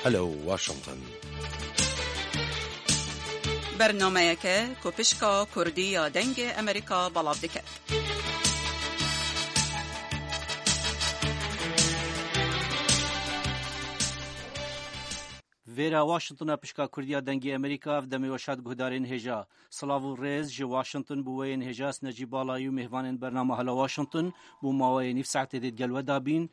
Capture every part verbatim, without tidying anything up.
Hello Washington. Bernameyeke ku pişka Kurdî ya Dengê Amerîka belav dike. Vêra Washingtona pişka Kurdiya Dengê Amerîka, ev demê weşat guhdarên hêja. Silav û rêz ji Washington bo we yên hêja, ez Necîb Balayî û mêvanên bernama Hello Washington bo maweyê nîv saetê dê digel we dabîn.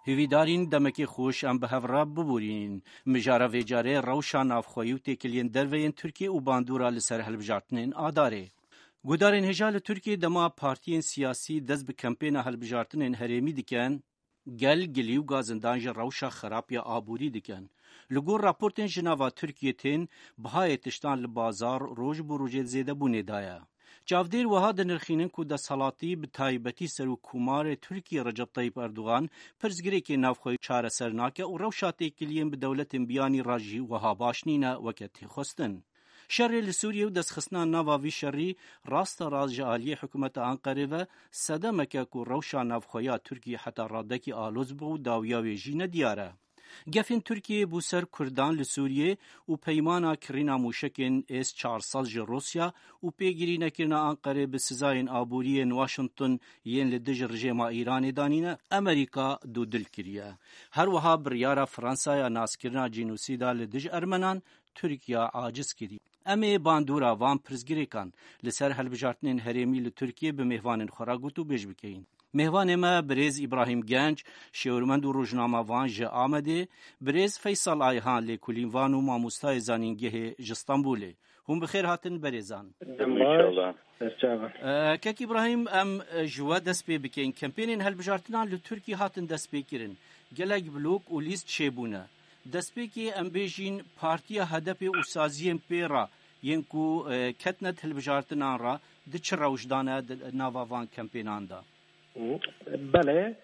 Hêvîdarîn demekê xweş em bi hev re bibûrîn. Mijara vê carê rewşa navxweyî û têkiliyên derve yên Tirkiyê û bandora li ser hilbijartinên Adarê. Guhdarên hêja li Tirkiyê dema partiyên siyasî dest bi kempêna hilbijartinên herêmî dikin, gel gilî û gazindan ji rewşa xerab ya aborî dikin. Li gor raportên ji nava Tirkiyê tên, bihayê tiştan li bazar roj bi rojê zêdebûnê de ye. Çavdêr wiha dinirxînin ku desthilatî, bi taybetî Serokkomarê Tirkiyê Recep Tayyip Erdogan, pirsgirêkê navxweyî çareser nake û rewşa têkiliyên bi dewletên biyanî re jî wiha baş nîne weke tê xwestin. Şerê li Sûriyê û destxistina nava vî şerî rasterast ji aliyê hikûmeta Anqerê ve sedemeke ku rewşa navxweya Tirkiyê heta radekî aloz bû û dawiya wê jî nediyar e. Gefên Tirkiyê bo ser Kurdan li Sûriyê û peymana kirîna mûşekên S çar sed ji Rûsya û pêgirî nekirina Anqerê bi sizayên aborî yên Washington yên li dij rejêma Îranê danîne, Amerîka dûdil kiriye. Her wiha biryara Fransaya naskirina cînosîda li dij Ermenan Tirkiya aciz kirî. Em ê bandora van pirsgirêkan li ser hilbijartinên herêmî li Tirkiyê bi mêvanên xwe re gotûbêj bikeyin. Mêvanê me birêz Îbrahîm Genc, şêwirmend û rojnamevan ji Amedê, birêz Feysal Ayhan, lêkolînvan û mamostayê zanîngehê ji Stenbolê. Hûn bi xêr hatin berêzan. Dem baş. Înşallah. Serçava. E, Kek Îbrahîm, em, e, ji we dest pê bikeyin. Kempênên hilbijartinan li Tirkiyê hatin destpêkirin. Gelek blok û lîst çêbûne. Destpêkê em bêjîn partiya H D P û saziyên pê re yên ku, e, ketine di hilbijartinan re di çi rewş de ne di nava van kempênan de? Belê,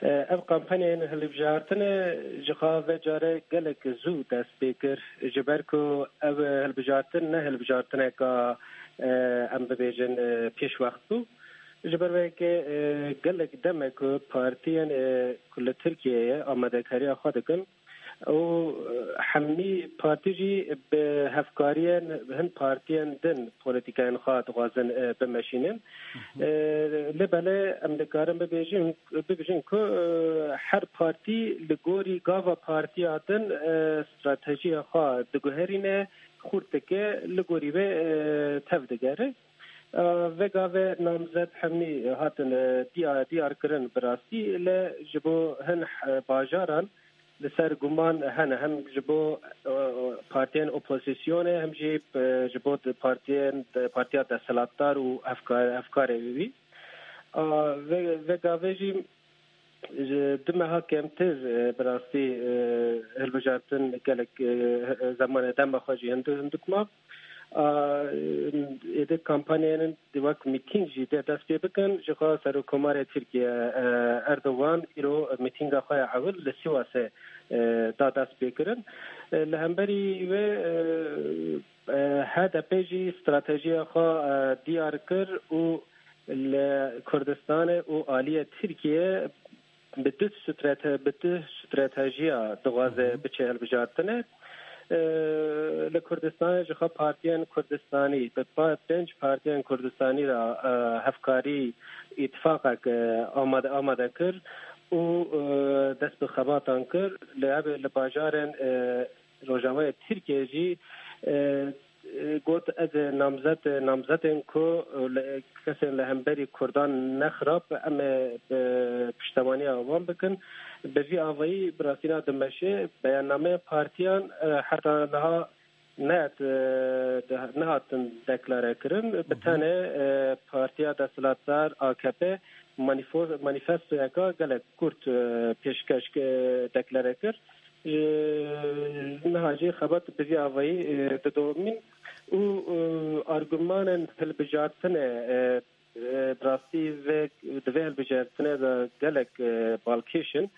ev kampanyayên hilbijartinê ji xwe ve care gelek zû dest pê kir, ji ber ku ev hilbijartin ne hilbijartineka, em bibêjin, pêşwext bû. Ji ber vê yekê, gelek dem e ku partiyên, ku li Tirkiyeyê amadekariya xwe dikin, û, e, hemî partî jî bi hevkariyên hin partiyên din polîtîkayên xwe dixwazin, e, bimeşînin. Hı hı. E, lê belê em dikarin bibêjin, bibêjin ku, e, her partî li gorî gava partiya din, e, stratejiya xwe diguherîne, xurt dike, li gorî vê, e, tev digere. E, vê gavê namzet hemî hatin, e, diya-, diyar kirin bi rastî, lê ji bo hin, e, bajaran li ser guman hene, hem ji bo, e, partiyên opozisyonê, hem jî, e, ji bo di partiyên, partiya desthilatdar û hevkar-, hevkarê wî. A, vê, vê gavê jî ji du meha kêmtir, e, bi rastî, e, hilbijartin gelek, e, zemanê dema xwe jî hindu-, hindik ma. A, êdî kampanyayên di wek mîtîng jî dê dest pê bikin. Ji xwe Serokkomarê Tirkiye, e, Erdogan îro mîtînga xwe ya ewil li Sîwasê, e, da dest pê kirin. E, li hemberî wê, e, e, H D P jî stratejiya xwe, e, diyar kir û li Kurdistanê û aliyê Tirkiye bi du strate-, bi du stratejiya dixwaze Hı hı. biçe hilbijartinê. E, li Kurdistanê ji xwe partiyên Kurdistanî, bi pa-, pênc partiyên Kurdistanî re, e, hevkarî, îtifaqek, e, amade, amade kir û, e, dest bi xebatan kir. Li ev, li bajarên, e, Rojavayê Tirkiye jî, e, got, ez namzet, namzetên ku li, kesên li hemberî Kurdan ne xirab, em ê bi piştemaniya wan bikin. Bi vî avayî bi rastî na dimeşê beyannameya partiyan, e, heta niha nehat, e, de-, nehatin deklare kirin. Bi Hı hı. tenê, e, partiya desthilatdar A K P manifo-, manifestoyeka gelek kurt, e, pêşkeş, e, deklare kir. E, niha jî xebat bi vî avayî, e, didomîn û, e, argumanên hilbijartinê, e, e, bi rastî vê, di vê hilbijartinê de gelek, e, balkêş in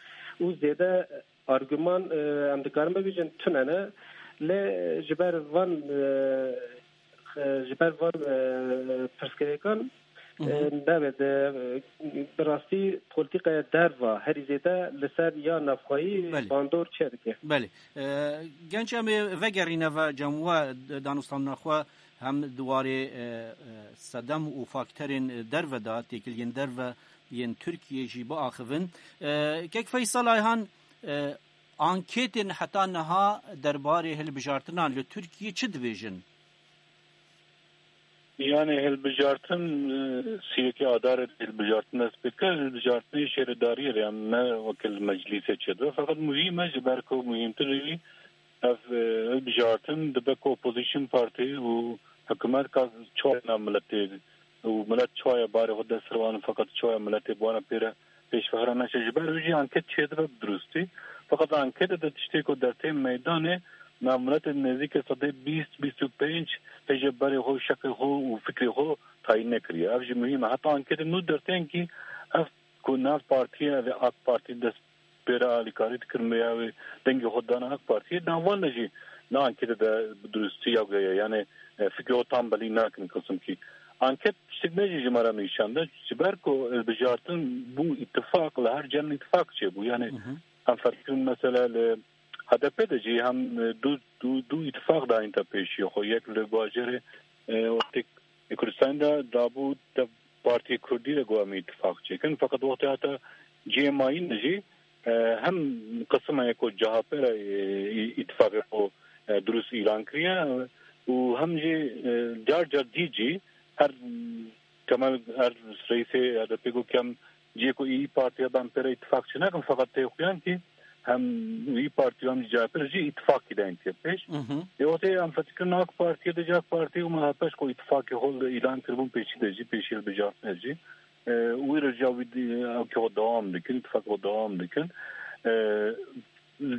û zêde arguman, e, em dikarin bibêjin tune ne, lê ji ber van, e, e, ji ber van, e, pirsgirêkan, Hı hı. e, navê de, e, Rastî polîtîkaya derva herî zêde li ser ya navxweyî Belê. bandor çêdike. Belê. E, genç em ê vegerîne ve cem we danûstandina xwe hem di warê, e, e, sedem û fakterên derve de, têkiliyên derve yên Tirkiyê jî biaxivin. E, kek Feysel Ayhan, e, anketên heta niha derbarê hilbijartinan li Tirkiyê çi dibêjin? Yani hilbijartin, e, siyekê Adarê hilbijartin dest pê kir, hilbijartinê şêredariyê re, em ne wekil meclîsê çêdibe. Feqet muhîm e, ji ber ku muhîmtir jî ev, e, hilbijartin dibe ku opozîsyon partî û hikûmet ka çawa nav miletê û milet çawa barê xwe dest wan, feqet çawa miletê bi wana pê re pêşvehiran neçe. Ji ber wî jî anket çêdibe bi dirustî. Feqet anketê de tiştê ku dertê meydanê, nav miletê nêzîkê sedê bîst, bîst û pênc hê ji berê xwe, şeqê xwe û fikrê xwe tayîn nekiriye. Ev jî muhîm e. Heta anketê nû dertên kî ev ku nav partiye, ev ê AK Partî dest pê re alîkarî dikir, me ya wê dengê xwe dana AK Partiyê. Nav wan de jî na anketê de bi dirustî ya goye, yani, e, fikrê xwe tam belî nakin kisim kî. Anket tiştek me jî ji me re nîşan de, ji ber ku, e, bijartin bû îtifaq, li her cem îtifaq çêbû. Yani, Hı hı. em ferz kirin mesela li H D P de jî hem, e, du, du, du îtifaq dayîn te pêşiya xwe. Yek li bajarê, e, wextê Kurdistanê de dabû te Partiyê Kurdî re got em îtifaq çêkin. Feqet wextê hate cihê mayîn de jî, e, hem qisma ye ku C H P re, e, î-, îtifaqê xwe, e, dirust îlan kiriye, e, û hem jî, e, car car dî jî her Kemal, her reîsê H D P got kem cihê ku î Partî hebe em pê re îtifaq çênakin, feqet tê xuyan kî hem wî partî û hem jî C H P re jî îtifaqî dayîn tê pêş. Mhm. Ê wextê em fetikirina AK Partiyê de jî AK Partî û M H P ji xwe îtifaqê xwe îlan kiribûn pêşî de jî, pêşî hilbijartinê jî. E, wî re jî ew wî di-, ew kê xwe dewam dikin, îtifaqê xwe dewam dikin. E,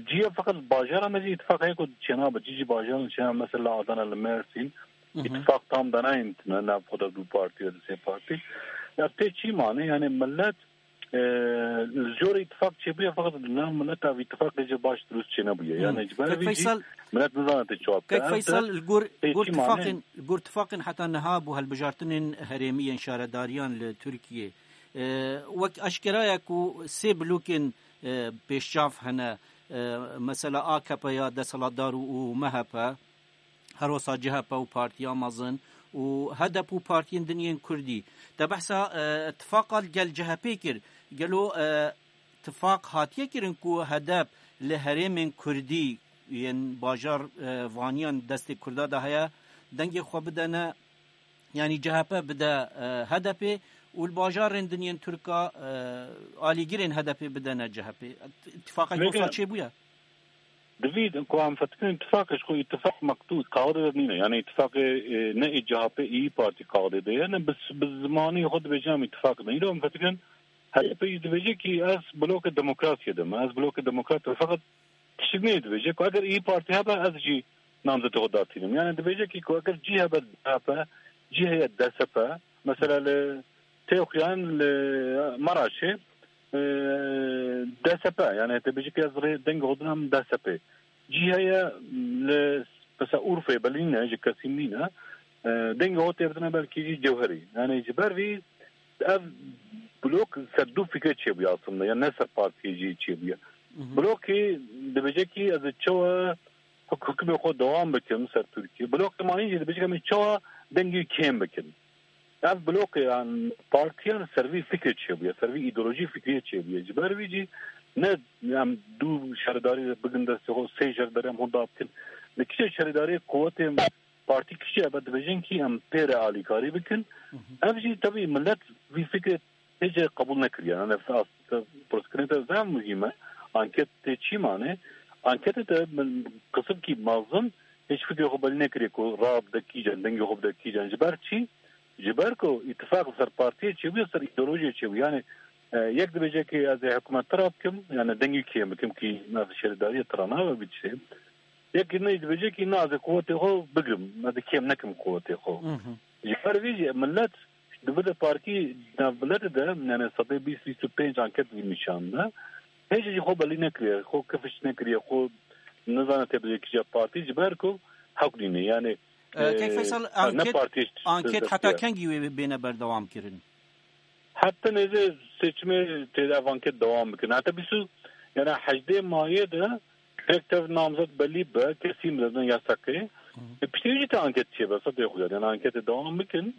cî ye feqet bajara me jî îtifaq heye ku çênabe, cî jî bajaran çênabe, mesela Adana li Mersîn, Mhm. îtifaq tam danayên tune nav xwe de du partî ya di sê partî. Ya tê çî mane, yani millet, e, li jorê îtifaq çêbûye, feqet li nav millet ev îtifaqê jî baş dirust çênebûye. Hmm. Yani ji ber Kek vî jî Feysel, millet nizane tê çawa bike. Kek Ev Feysel, de li gor, tê gor çî mane. tifaqên, li gor tifaqên heta niha bû hilbijartinên herêmî yên şaredariyên li Tirkiyê. E, wek eşkera ye ku sê blokên, e, pêşçav hene, e, mesela A K P ya desthilatdar û, û M H P. Her wisa C H P û partiya mezin û H D P û partiyên din yên Kurdî. Te behsa, e, tifaqa li gel C H P kir. Gelo, e, tifaq hatiye kirin ku H D P li herêmên Kurdî yên bajar, e, vaniyan destê Kurda de heye, dengê xwe bidene, yanî C H P bide, e, H D P û li bajarên din yên Tirka, e, alîgirên H D P bidene C H P. Tifaqek Vêga- wisa çêbûye? Divî ku em fetikirîn îtifaqê ji xwe îtifaq mektûb, kaxidê de nîne. Yani îtifaqê, e, ne ê C H P, ê Partî kaxidê de ye, ne bi, bi zimanî xwe dibêje em îtifaq de. Îro em fetikirîn H D P jî dibêje ki ez blokê demokrasiyê de me, ez blokê demokrat de, feqet tiştik nê dibêje ku eger ê Partî hebe ez jî namzetê xwe datînim. Yani dibêje ki ku eger cî hebe C H P, cî heye D S P, mesela li tê xuyan li Maraşê, e, D S P, yani te bêjî ki ez rê dengê xwe dinam D S P. Cî heye li, mesela Urfê belî ne, ji kesî nîne, e, dengê xwe tê bidine belkî jî Cewherî. Yani ji ber vî ev blok ser du fikre çêbûye aslında, yani ne ser partiyê jî çêbûye. Mhm. Blokê dibêje ki ez ê çawa huk-, hukmê xwe dewam bikim ser Tirkiye. Blokê mayîn jî dibêje em ê çawa dengê kêm bikin. Ev blokê yan partiyan ser vî fikrê çêbûye, ser vî îdeolojî fikriyê çêbûye. Ji ber vî jî ne em du şaredarî bigin destê xwe, sê şaredarî em xwe dabikin. Li kişê şaredariyê quwetê partî kişê hebe dibêjin kî em pê re alîkarî bikin. Mhm. Ev jî tevî millet vî fikrê hêce qebûl nekiriye. Yani, pirsgirêk te zaf muhîm e. Anket tê çî mane? Anketê te min qisimkî mezin hêç fikrê xwe belî nekiriye ku raye bide kîjan, dengê xwe bide kîjan. Ji ber çî? Ji ber ku îtifaq ser partiyê çêbûye, ser îdeolojiyê çêbûye. Yani, e, yek dibêje ki ez ê hikûmet tira bikim, yani dengê kêm bikim ki ez şêredariyê tira nabe bi tiştê. Yekî ne dibêje ki na ez ê quwetê xwe bigrim, ez ê kêm nekim quwetê xwe. Mhm. Ji ber vî jî millet di vide parkî nav miletê de, yani sedê bîst, bîst û pênc anket vî nîşan de. Hêjî jî xwe belî nekiriye, xwe kifiş nekiriye, xwe nizane tê bide kîja partî, ji ber ku hewk nîne. Yani, E, Kek e, Feysel, ne anket, partiye anket heta kengî wê bêne berdewam kirin? Heta nêzê seçimê tê de ev anket dewam bikin. Heta bîst û, yani hejdê mayê de gerek tev namzet belî be, kesî mezin yasakê. E, piştî jî te anket çêbe, sedê xwe, yani anketê dewam bikin.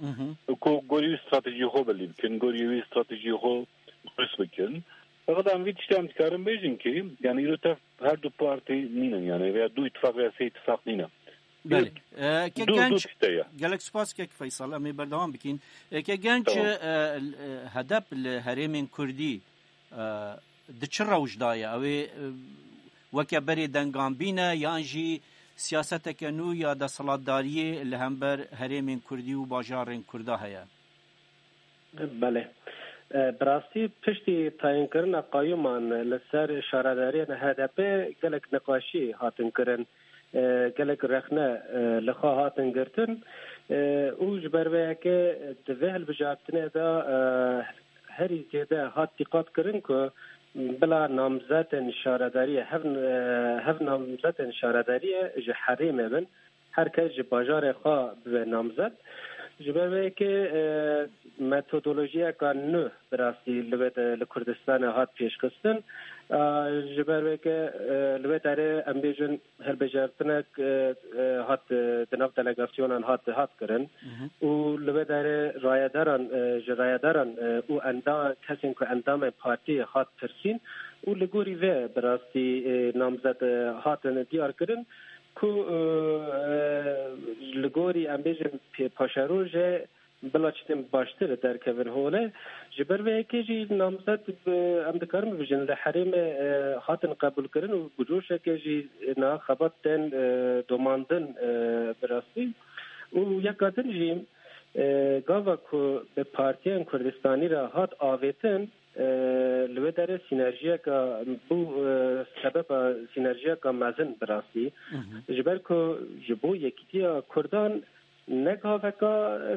Ku gorî wî stratejiyê xwe belî bikin, gorî wî stratejiyê xwe durust bikin. Feqet em vî tiştê em dikarin bêjin ki, yani îro tev her du partî nînin, yani veya du îtifaq veya sê îtifaq nînin. Belê. E, ke du, genç, du tişte ye. Gelek spas kek Feysal, em ê berdewam bikin. E, ke genç, Tamam. e, e, hedep li herêmên Kurdî, e, di çi rewş de ye? Ew ê, e, weke berê dengan bîne yan jî siyaseteke nû ya desthilatdariyê li hember herêmên Kurdî û bajarên Kurda heye? Belê. E, bi rastî piştî tayînkirina qayûman li ser şaredariyên H D P gelek niqaşî hatin kirin, e, gelek rexne, e, li xwe hatin girtin, e, û ji ber vê yekê di vê hilbijartinê de, e, herî zêde hat dîqat kirin ku bila namzetên şaredariyê, hev, e, hev namzetên şaredariyê ji herêmê bin, her kes ji bajarê xwe bibe namzet. Ji ber vê yekê, e, metodolojiyeka nû bi rastî li wê de, li Kurdistanê hat pêşxistin. E, ji ber vê yekê, e, li wê derê em bêjin hilbijartinek, e, e, hat, e, di nav delegasyonan hat, hat kirin. Û li wê derê rayedaran, e, ji rayedaran, e, û enda-, kesên ku endamên partiyê hat pirsîn û li gorî vê bi rastî, e, namzet, e, hatin diyar kirin. Ku, e, e, li gorî, em bêjin, pê-, paşerojê bila çitin baştir derkevin holê. Ji ber vê yekê jî namzet, e, em dikarin bibêjin, li herêmê, e, hatin qebûlkirin û bi coşekê jî niha xebat tên, e, domandin, e, bi rastî. Û yeka din jî, e, gava ku bi partiyên Kurdistanî re hat avêtin, e, li wê derê sînerjiyeka bû, e, sebeba sînerjiyeka mezin bi rastî. Ji ber ku ji bo yekîtiya Kurdan ne gaveka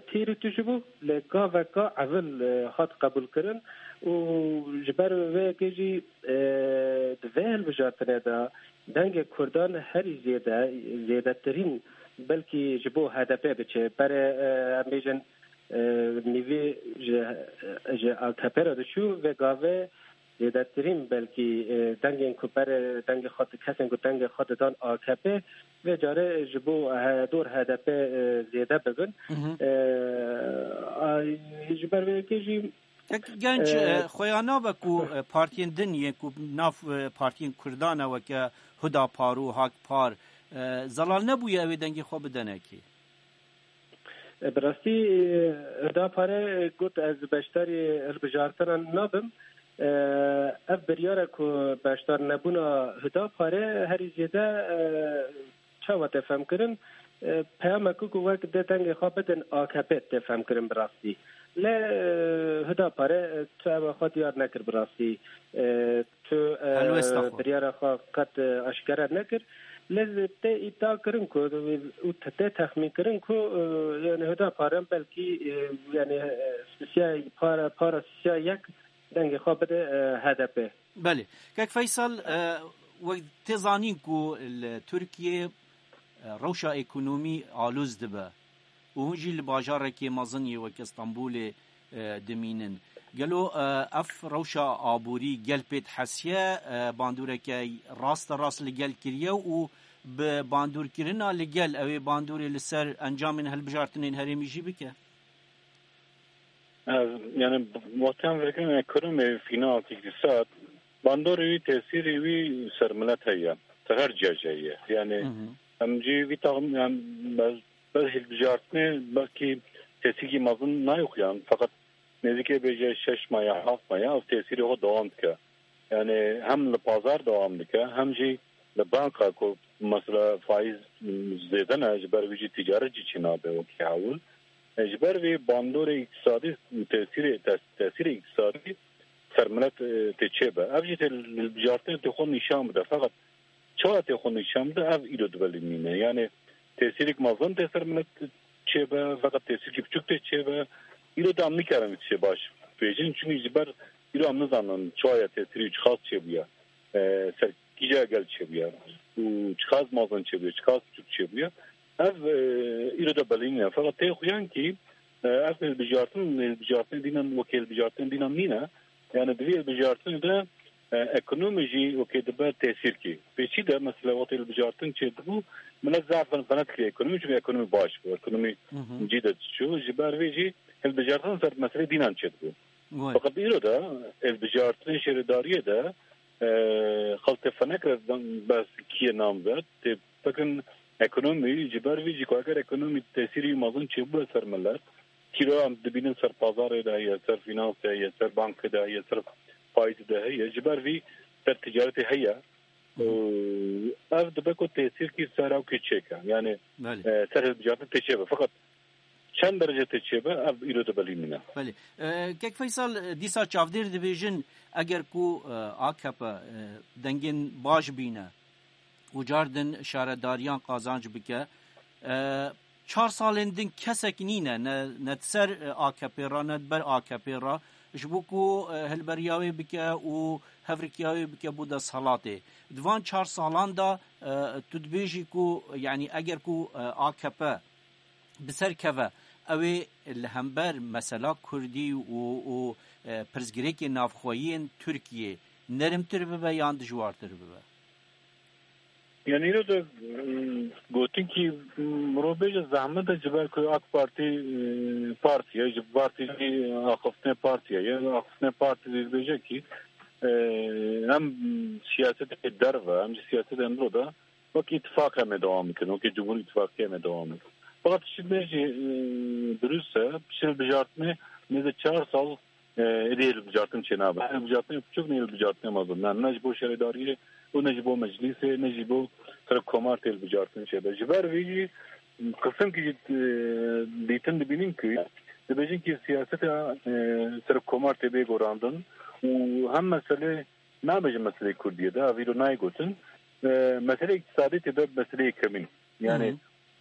pîr û tije bû, lê gaveka evil, e, hat qebûlkirin û ji ber vê yekê jî, e, di vê hilbijartinê de dengê Kurdan herî zêde, zêdetirîn belkî ji bo H D P biçe. Berê, e, em bêjin, e, nîvê ji, ji A K P re diçû, vê gavê zêdetirîn belkî, e, dengên ku berê dengê xwe di-, kesên ku dengê xwe didan A K P, vê carê ji bo he-, dor H D P, e, zêde bibin. E, a, ji ber vê yekê jî Kek genç, e, e, xweya nabe ku, e, partiyên din yên ku nav, e, partiyên Kurdan e weke Hudapar û Hakpar, e, zelal nebûye ew ê dengê xwe bidene kê? E, bi rastî, e, Hudapare got, ez beşdarî hilbijartinan nabim. E, ev biryara ku beşdar nebûna Hudapare herî zêde, e, çawa tê femkirin? E, peyameke ku wek dê dengê xwe bidin A K P tê femkirin bi rastî. Lê, e, Hudapare, e, tu ewa xwe diyar nekir bi rastî. E, tu, e, Helwesta xwe. Biryara xwe qet, e, aşkere nekir. Lê tê îdia kirin ku, û te-, tê texmîn kirin ku, e, yani Hudapare belkî, e, yani, e, sisiya para, para sisiya yek dengê xwe bide, e, H D P. Belê. Kek Feysel, e, wek tê zanîn ku li Tirkiyê, e, rewşa ekonomî alûz dibe û hûn jî li bajarekê mezin yê weke Stenbolê, e, dimînin. Gelo, e, ev rewşa aborî gel pê dihesiye, e, bandoreke raste rast li gel kiriye û bi bandorkirina li gel ew ê bandorê li ser encamên hilbijartinên herêmî jî bike? Ez, yani, wextê em vekirine ekonomî, fînans, îktisad, bandorê wî, tesîrê wî ser milet heye. Ser her cihê heye. Yani, Hı hı. em jî vî taxmin, yani, bez, bez hilbijartinê belkî tesîrkî mezin nayê xuyan. Feqet nêzîkê bêje şeş maya, heft maya, ev tesîrê xwe dewam dike. Yani, hem li pazar dewam dike, hem jî li banka ku mesela faiz zêde ne, ji ber wî jî ticaret jî çênabe wekî ewil. E, ji ber vê bandorê îktisadî û tesîrê, tes-, tesîrê îktisadî ser milet, e, tê çêbe. Ev jî tê li, li bijartinê tê xwe nîşan bide. Feqet çawa tê xwe nîşan bide, ev îro dibe li nîne. Yani tesîrek mezin tê ser milet çêbe, feqet tesîrkî biçûk tê çêbe. Îro de em nikarin vî tiştê baş bêjin, çunî ji ber îro em nizanin çawa ye tesîrî çiqas çêbûye. E, ser kîja gel çêbûye û çiqas mezin çêbûye, çiqas biçûk çêbûye. Ev, e, îro de belî nîne. Feqet tê xuyan kî E, ev hilbijartin, hilbijartinê dînan wekî hilbijartinê dînan nîne. Yani di vî hilbijartinê de, e, ekonomî jî wekî dibe tesîrkî. Pêşî de mesela wextê hilbijartin çêdibû, milet zaf fen-, fena dikiriye ekonomî, çünkü ekonomî baş bû, ekonomî Hı hı. cî de diçû. Ji ber vê jî hilbijartin ser meselê dînan çêdibû. Wê. Fakat îro de hilbijartinê şêredariyê de, e, xelk tê fenek re behs kî ye namzet, tê fikirin ekonomî, ji ber vî jî ku eger ekonomî tesîrî mezin çêbû ser milet, kîroya em dibînin ser pazarê de heye, ser fînansê heye, ser bankê de heye, ser faîzê de heye, ji ber vî ser ticaretê heye. Hı hı. Ev dibe ku tesîrkî ser ew kê çêke. Yani, Belê. e, ser hilbijartin tê çêbe. Fakat çend derece tê çêbe, ev îro de belî nîne. Belê. E, Kek Feysal, e, dîsa çavdêr dibêjin, eger ku, e, A K P, e, dengên baş bîne û car din şaredariyan qazanc bike, e, çar salên din kesek nîne, ne, ne di ser, e, A K P re, ne di ber A K P re, ji bo ku, e, hilberiya wê bike û hevrikiya wê bike bo desthilatê. Di van çar salan de, e, tu dibêjî ku, yanî eger ku, e, A K P bi ser keve, ew ê li hember mesela Kurdî û, û, e, pirsgirêkê navxweyiyên Tirkiyê nerimtir bibe yan dijwartir bibe? Yani îro de, mm, gotin ki, mm, mirov bêje zehmet e, ji ber ku A K Partî, e, partî ye, ji partî jî axiftinê partî ye. Axiftinê partî jî dibêje ki, e, em siyasetê derve, em jî siyasetê îro de wekî îtifaq em ê dewam bikin, wekî Cumhur Îtifaqê em ê dewam bikin. Fakat tiştê me jî, e, dirust e, piştî hilbijartinê nêzî çar sal, e, êdî hilbijartin çênabe. Hilbijartinê biçûk ne hilbijartinê mezin. Ne, ne ji bo şaredariyê û ne ji bo meclîsê, ne ji bo serokkomar tê hilbijartin çêbe. Ji ber vî jî qisimkî jî, e, dîtin dibînin ku dibêjin ki siyaseta, e, serokkomar tê bê gorandin û hem meselê nabêjin meseleyê Kurdiyê de, ev îro nayê gotin. E, meseleyê îktisadî tê be meseleyê yekemîn. Yani,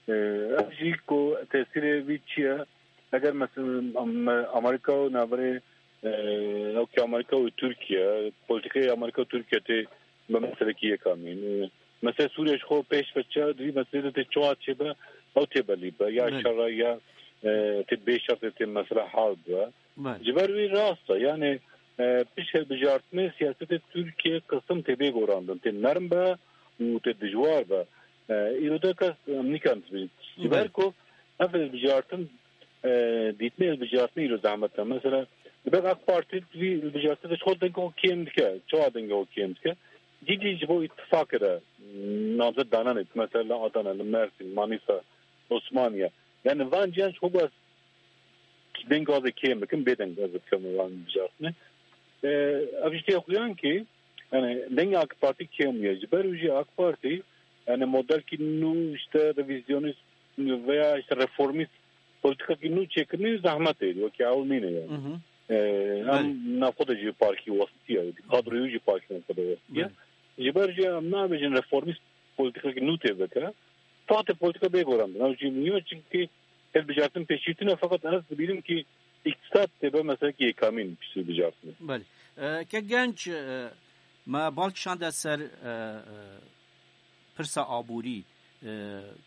Hı hı. e, ev jî ku tesîrê vî çi ye? Eger mes-, em-, Amerîka û navberê, e, ew ki Amerîka û Tirkiye, polîtîkayê Amerîka û Tirkiye tê be meselekî yekamîn. E, mesela Sûriye ji xwe pêş ve çi, di vî meselê de tê çawa çêbe, ew tê belî be. Ya Belê. şer e, ya, e, tê bê şer tê, tê mesela hal be. Belê. Ji ber wî rast e. Yani, e, pişt hilbijartinê siyasetê Tirkiye qisim tê bê gorandin. Tê nerm be û tê dijwar be. E, îro de kes, em nikarin dibînin. Ji ber Belê. ku ev hilbijartin, e, dîtinê hilbijartinê îro zehmet e. Mesela, dibe A K Partî vî hilbijartinê de ji xwe dengê xwe kêm dike. Çawa dengê xwe kêm dike? Cî cî ji bo îtifaqê de, m, namzet dananê. Mesela li Adana, li Mersin, Manîsa, Osmaniye. Yani van ciyan ji xwe deng gazê kêm bikin, bê deng gazê bikim wan bijartine. E, ev jî tê xuyan ki, yani, dengê A K Partî kêm ye. Ji ber wî jî A K Partî, yani, modelkî nû, işte, revizyonist veya, işte, reformist politikakî nû çêkirinî zehmet e, wekî ew nîne yani. Hı hı. E, em Belê. navxwe de jî parkî westiye, kadroyê jî parkî navxwe de westiye. Belê. Ji ber jî em nabêjin reformist politikakî nû tê bike. Tahtê politika bê gorandin. Ew jî niyo, çünkü hilbijartin pêşî tune, fakat ez dibînim ki îktisad tê be meselekî yekamîn piştî hilbijartinê. Belê. E, ke genç, e, me bal kişande ser, e, e, pirsa aborî. E,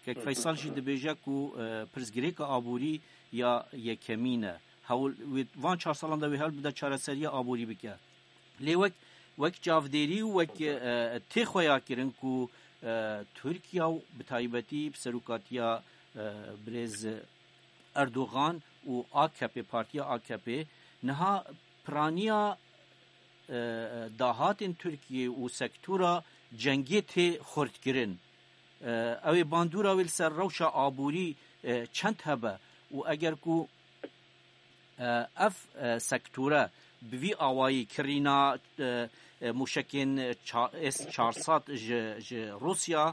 kek Feysal jî dibêje ku, e, pirsgirêka aborî ya yekemîn e. Hewl, wê van çar salan de wê hewl bide çareseriya aborî bike. Lê wek, wek çavdêrî û wek, e, tê xweya kirin ku, e, Tirkiye û bi taybetî bi serokatiya, e, birêz Erdogan û A K P, partiya A K P, niha piraniya, e, dahatên Tirkiye û sektora cengê tê xurtkirin. E, ew ê bandora wê li ser rewşa aborî, e, çend hebe û eger ku e, ev, e, sektore bi vî awayî kirîna, e, e, mûşekên ça-, S çar sed ji, ji Rûsya,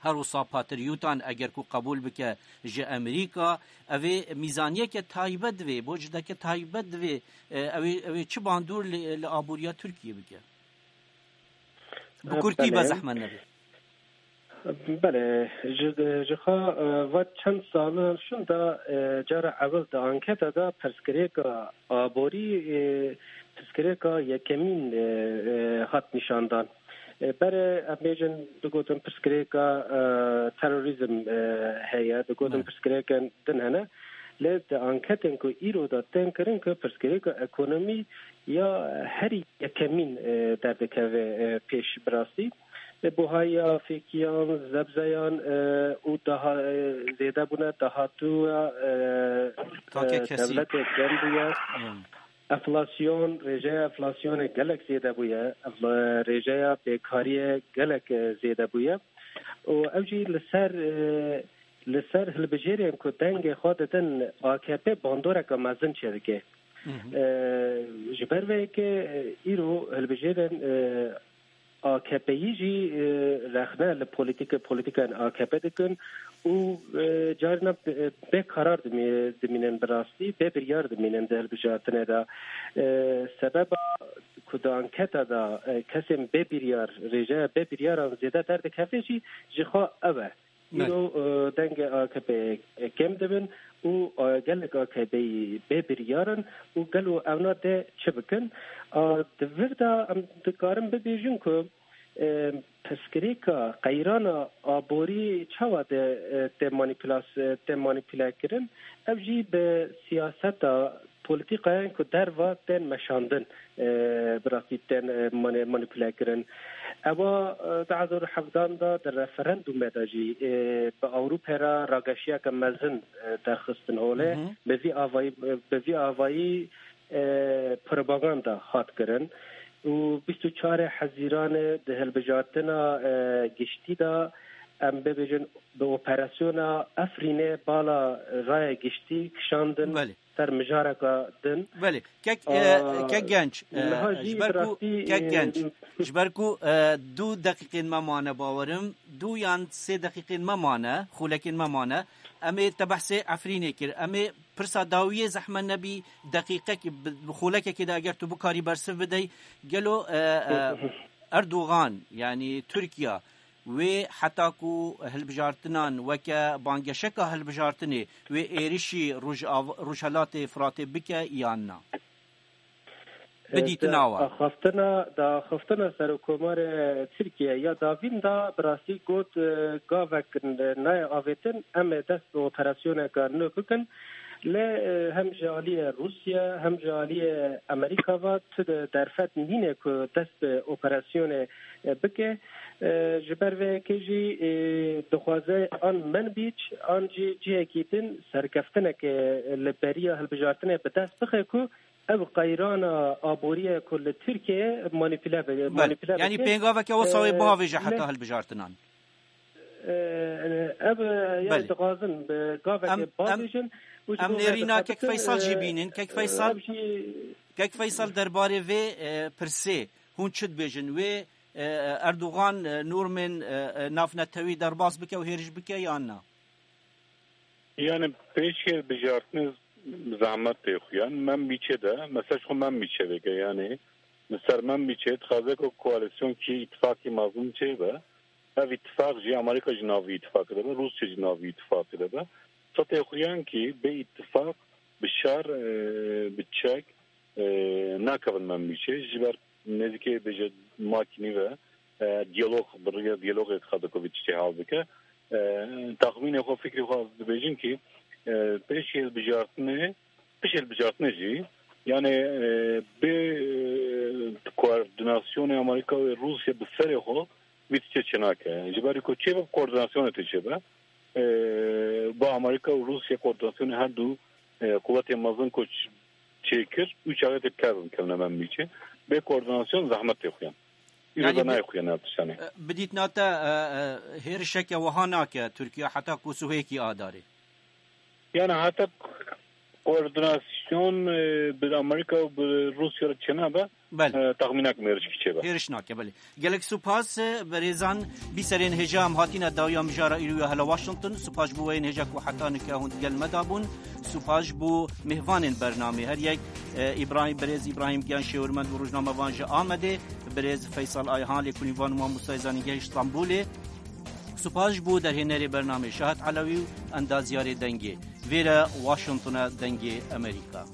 her wisa Patriotan eger ku qebûl bike ji Amerîka, ev ê mîzaniyeke taybet divê, bo cideke taybet divê, e, ew ê, ew ê çi bandor li, li aboriya Tirkiyê bike? Bi kurtî be Belê. zehmet nebe. Belê, ji, ji xwe, e, va çend sal şûn de, e, cara ewil di anketa de pirsgirêka aborî, e, pirsgirêka yekemîn, e, e, hat nîşandan. E, berê em bêjin, digotin pirsgirêka, e, terorîzm, e, heye, digotin Ne. pirsgirêkên din hene. Lê di anketên ku îro de tên kirin ku pirsgirêka ekonomî ya herî yekemîn, e, derdikeve, e, pêş bi rastî. E, buhaya fêkiyan, zebzeyan, e, û daha, e, zêde bûne, dahatûya, e, Takê e, kesî. Dewletê kêm bûye. Hmm. Enflasyon, rêjeya enflasyonê gelek zêde bûye, ev, e, rêjeya bêkariyê gelek, e, zêde bûye. Û ew jî li ser, e, li ser hilbijêrên ku dengê xwe didin A K P bandoreke mezin çêdike. Hı hı. E, ji ber vê yekê, e, îro hilbijêrên, e, A K P'yî jî, e, rexne li polîtîke, polîtîkên A K P dikin û, e, carina bê, bê karar dimî-, dimînin bi rastî, bê biryar dimînin di hilbijartinê de. E, sebeba ku di anketa de, e, kesên bê biryar, rêjeya bê biryaran zêde derdikeve jî ji xwe ev e. Îro, e, dengê A K P kêm dibin û, e, gelek A K P'yî bê biryar in û gelo ewna dê çi bikin? A, di vir de em dikarin bibêjin ku, e, pirsgirêka qeyrana aborî çawa de, e, tê manîpulas-, e, tê manîpule kirin? Ev jî bi siyaseta polîtîkayên ku derva tên meşandin, e, bi rastî tên, e, mani-, manîpule kirin. Ewa, e, du hezar û hevdan de di referandûmê de jî, e, bi Ewropê re rageşiyeke mezin, e, derxistin holê. Hı hı. Bi vî avayî, bi vî avayî, e, propaganda hat kirin. Û bîst û çarê Hezîranê di hilbijartina, e, giştî de, em bibêjin, bi operasyona Efrînê bala raya giştî kişandin. Belê. Ser mijareka din. Belê. Kek, e, Aa, kek Genç, e, niha jî ji ber ku, bi rastî, kek e, Genç, ji ber ku, e, du deqîqên me mane, bawerim, du yan sê deqîqên me mane, xulekên me mane, em ê te behsê Efrînê kir. Em ê pirsa dawiyê zehmet nebî, deqîqek, bi, bi xulekekê de eger tu bikarî bersiv bidey, gelo, e, e, Erdogan, yanî Tirkiye, wê heta ku hilbijartinan weke bangeşeka hilbijartinê wê êrişî Rojav-, Rojhelatê Firatê bike yan na? Bi dîtina we. Axaftina, di axaftina Serokkomarê Tirkiye ya davîn de bi rastî got, e, gavek nayê avêtin, em ê dest bi operasyoneke nû bikin. Lê, e, hem ji aliyê Rûsya hem ji aliyê Amerîka ve tu de derfet nîne ku dest bi operasyonê, e, bike. E, ji ber vê yekê jî, e, dixwaze an Manbij an jî cihekî din serkeftineke li beriya hilbijartinê bi dest bixe ku ev qeyrana aboriye ku li Tirkiyeyê manîpule be-, Belê. Manîpule Yanî bike. Pêngaveke wisa wê E, bihavêje heta hilbijartinan. E, ev, e, yani Belê. Dixwazin bi gavekê Em, em, bavêjin û ji em bo nêrîna vê Kek dixwazin, Feysal jî e, bînin. Kek e, Feysal, ev jî Kek Feysal derbarê vê, e, pirsê hûn çi dibêjin? Wê, e, Erdogan, e, normên, e, e, navnetewî derbas bike û hêriş bike yan na? Yani pêşkê bijartinê zehmet tê xuyan. Manbijê de, mesela ji xwe Manbijê veke yani. Li ser Manbijê dixwaze ku koalîsyon kî îtifakî mezin çêbe. Ev îtifak jî Amerîka ji navî îtifakê de be, Rûsya ji navî îtifakê de be. Sa tê xuyan kî bê îtifak bi şer, e, bi çek, e, nakevin Manbijê. Ji ber nêzîkê bêje makînî ve, e, diyalog, bi rêya diyalogê dixwaze ku vê tiştê hal bike. E, taxmînê xwe, fikrê xwe ez dibêjim kî, e, pêşî hilbijartinê, pişt hilbijartinê jî, yani, e, bê, e, koordinasyonê Amerîka û Rûsya bi serê xwe vî tiştê çênake. Ji ber ku çêbe koordinasyonê tê çêbe, e, bi Amerîka û Rûsya koordinasyonê her du, e, quwetê mezin ku ç-, çêkir, û çaxê tê bi kar bikevine Manbijê. Bê koordinasyon zehmet tê xuyan. Îro Yani de bi-, nayê xuyan ev tiştanê. E, bi dîtina te, e, e, hêrişeke wiha nake Tirkiye heta ku sihêkî adarê? Yani heta koordinasyon, e, bi Amerîka û bi Rûsya re çênabe, Belê. e, taxmînak mêrişkî çêbe. Hêriş nake, belê. Gelek supas, e, berêzan, bîserên hêja em hatine dawiya mijara îro ya hela Washington. Supas ji bo weyên hêja ku heta nika hûn digel me de bûn. Supas ji bo mêvanên bernamê. Her yek, e, Îbrahîm, berêz Îbrahîm Giyan, şêwirmend û rojnamevan ji Amedê, berêz Feysal Ayhan, lêkolînvan û mamostayê zanîngehê ji Stenbolê. Supas ji bo derhênerê bernamê Şahat Elewî û endazyarê dengê. Vêre Washingtona Dengê Amerîka.